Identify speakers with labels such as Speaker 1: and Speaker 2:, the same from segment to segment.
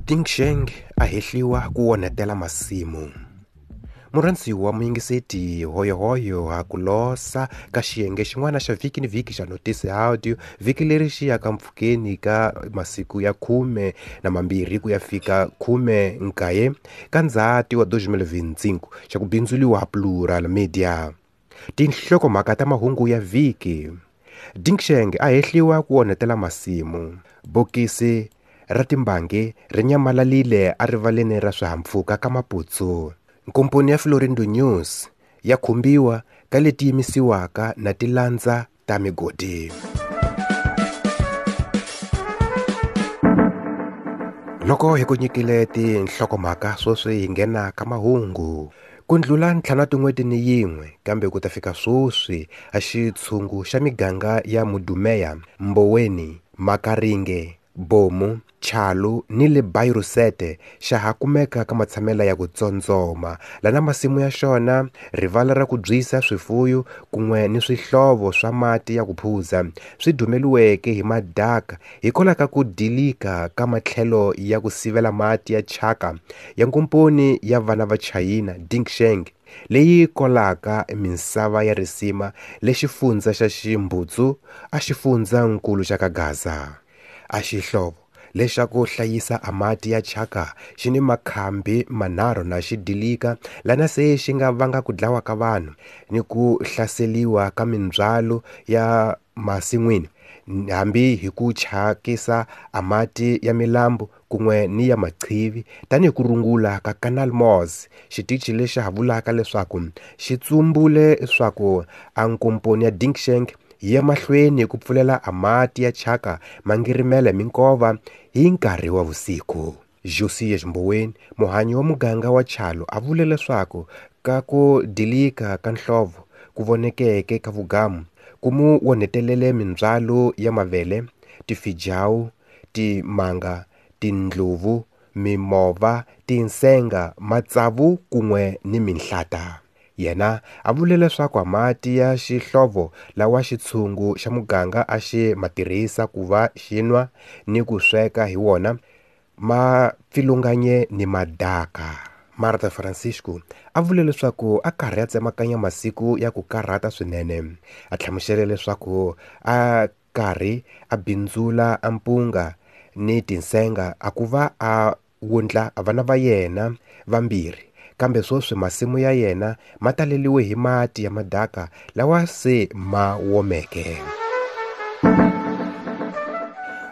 Speaker 1: Dingsheng a hehliwa ku onhetela masimu. Murhandziwa muyingiseti hoyohoyo ha ku losa ka xiyenge xin'wana xa vhiki ni vhiki xa Notice Audio vhiki leri xi yaka mpfhukeni ka masiku ya 12 ku ya fika 19 ka Ndzhati wa 2025 xa ku bindzuliwa Plural Media. Tinhlokomhaka ta mahungu ya vhiki. Dingsheng a hehliwa ku onhetela masimu. Bokisi ra timbangi ri nyamalalile erivaleni ra swihahampfhuka ka Maputsu. Nkomponi ya Florindo News ya khumbiwa ka leti yimisiwaka na tilandza ta migodi. Loko hi ku nyikile tinhlokomhaka sweswi hi nghena ka mahungu. Ku ndlula ntlhanu wa tin'hweti ni yin'we kambe ku ta fika sweswi a xitshungu xa miganga ya Mudumeya, Mboweni, Makaringe, Bomu, Chalu ni le Bairusete xa ha kumeka ka matshamela ya ku tsondzoma lana masimu ya xona, rivala ra ku byisa swifuyo kun'we ni swihlovo swa mati ya ku phuza swi dumeliweke hi madaka hikwalaho ka ku dilika ka matlhelo ya ku sivela mati ya thyaka ya nkomponi ya vana va Chayina Dingsheng leyi kolaka misava ya risima le xifundza xa Ximbutsu a xifundzankulu xa ka Gaza. A xihlovo lexa ku hlayisa a mati ya thyaka xi ni makhambi manharhu na xi dilika lana se xi nga vanga ku dlawa ka vanhu ni ku hlaseliwa ka mindzhwalo ya masin'wini hambi hi ku thyakisa a mati ya milambu kun'we ni ya maqhivi tanihi ku rungula ka Canal Mos xitichi lexi ha vulaka leswaku xi tsumbule swaku a nkomponi ya Dingsheng yi ya mahlweni ku pfulela a mati ya thyaka mangirimela minkova hi nkarhi wa vusiku. Josias Mboweni muhanyi wa muganga wa Chalo a vule leswaku ka ku dilika ka nhlovo ku vonekeke ka vugamu ku mu onhetelele mindzhwalo ya mavele, tifijawu, timanga, tindluvu, mimova, tinsenga, matsavu kun'we ni minhlata. Yena a vule leswaku mati ya xihlovo lawa xitshungu xa muganga a xi ma tirhisa ku va xi nwa ni ku sweka hi wona ma pfilunganye ni madaka. Marta Francisco a vule leswaku a karhi a tsemakanya masiku ya ku karhata swinene. A hlamusele leswaku a karhi a bindzula a mpunga ni tinsenga a ku va a wundla vana va yena vambirhi kambe sweswi masimu ya yena ma taleliwe hi mati ya madaka lawa se ma womeke.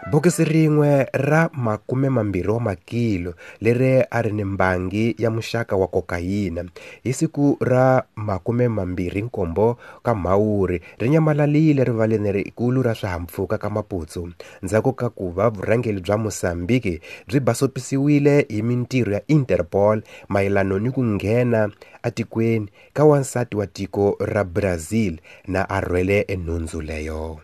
Speaker 1: Bokisi rin'we ra 20 wa makilo leri a ri ni mbangi ya muxaka wa kokayina hi siku ra 27 ka Mhawuri ri nyamalalile rivaleni rikulu ra swihahampfhuka ka Maputsu ndzhaku ka ku va vurhangeri bya Mozambique byi basopisiwile hi mintirho ya Interpol mayelano ni ku nghena etikweni ka wansati wa tiko ra Brazil na a rhwele enhundzu leyo.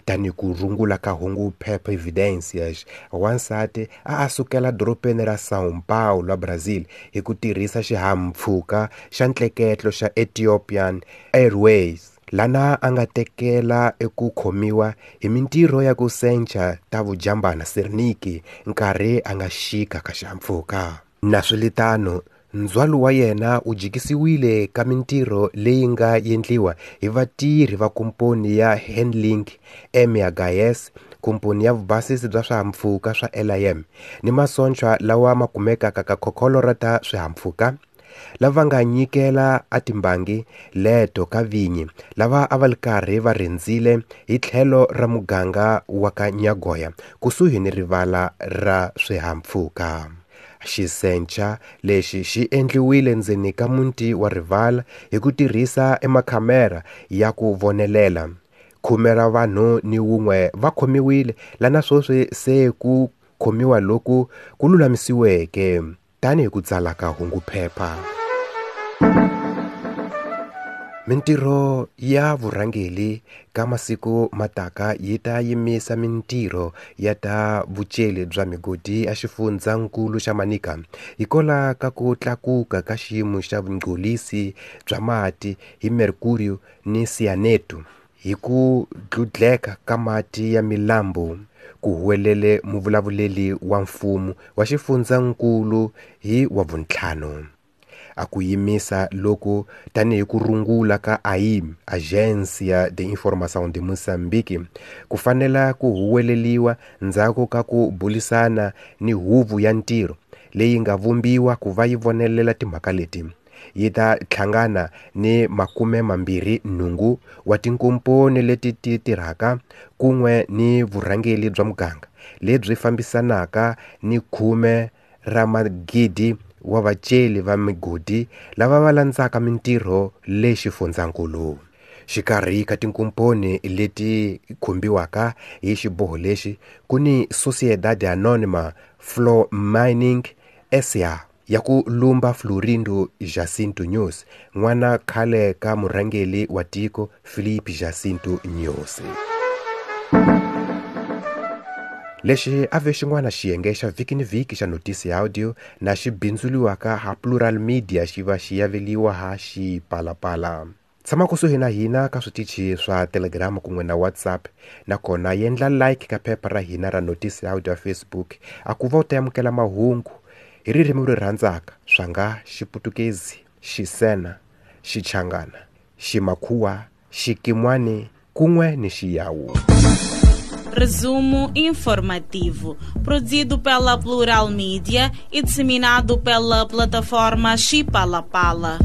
Speaker 1: Tani ku rungula ka hungu Phepha Evidencias, wansati a a sukela dorobeni ra São Paulo, Brazil hi ku tirhisa xihahampfhuka xa ntleketlo xa Ethiopian Airways lana a nga tekela eku khomiwa hi mintirho ya ku sencha ta vujambana Serniki nkarhi a nga xika ka xihahampfhuka. Naswilitano, ndzhwalo wa yena wu jikisiwile ka mintirho leyi nga endliwa hi vatirhi va komponi ya Handling MHS, komponi ya vubasisi bya swihahampfhuka swa LIM ni masocha lawa ma kumekaka ka khokholo ra ta swihahampfhuka lava nga nyikela a timbangi leto ka vinyi lava a va ri karhi va rindzile hi tlhelo ra muganga wa ka Nyagoya kusuhi ni rivala ra swihahampfhuka. Xisencha lexi xi endliwile ndzeni ka muti wa rivala hi ku tirhisa emakhamera ya ku vonelela. 10 ra vanhu ni wun'we va khomiwile lana sweswi se ku khomiwa loku ku lulamisiweke tanihi ku tsala ka hungu phepha. Mintirho ya vurhangeri ka masiku mataka yi ta yimisa mintirho ya ta vuceli bya migodi ya xifundzankulu xa Manica hikwalaho ka ku tlakuka ka xiyimo xa vungcolisi bya mati hi mercury ni cyanate hi ku dludleka ka mati ya milambu. Ku huwelele muvulavuleri wa mfumo wa xifundzankulu hi Wavuntlhanu. A ku yimisa loku tanihi ku rungula ka AIM, Agência de Informação de Moçambique, ku fanela ku huweleliwa ndzhaku ka ku bulisana ni huvo ya ntirho leyi nga vumbiwa ku va yi vonelela timhaka leti. Yi ta hlangana ni 28 wa tinkomponi leti ti tirhaka kun'we ni vurhangeri bya muganga lebyi fambisanaka ni 10 ra magidi wa vaceli va migodi lava va landzaka mintirho le xifundzankulu. Xikarhi ka tinkomponi leti khumbiwaka hi xiboho lexi ku ni Sociedade Anônima Floor Mining SA ya ku lumba Florindo Jacinto Nyusi, n'wana khale ka murhangeri wa tiko Filipe Jacinto Nyusi. Lexi a ve xin'wana xiyenge xa vhiki ni vhiki xa notisi ya audio na xi bindzuriwaka ha Plural Media xi va xi yaveliwa ha Xipalapala. Tshama kusuhi na hina ka switichi swa Telegram kun'we na WhatsApp, nakona yendla like ka phepha ra hina ra notisi ya audio ya Facebook a ku va u ta amukela mahungu hi ririmi ri rhandzaka swa nga Xiputukezi, Xisena, Xichangana, Ximakhuwa, Xikimwani kun'we ni Xiyawu.
Speaker 2: Resumo informativo, produzido pela Plural Mídia e disseminado pela plataforma Xipalapala.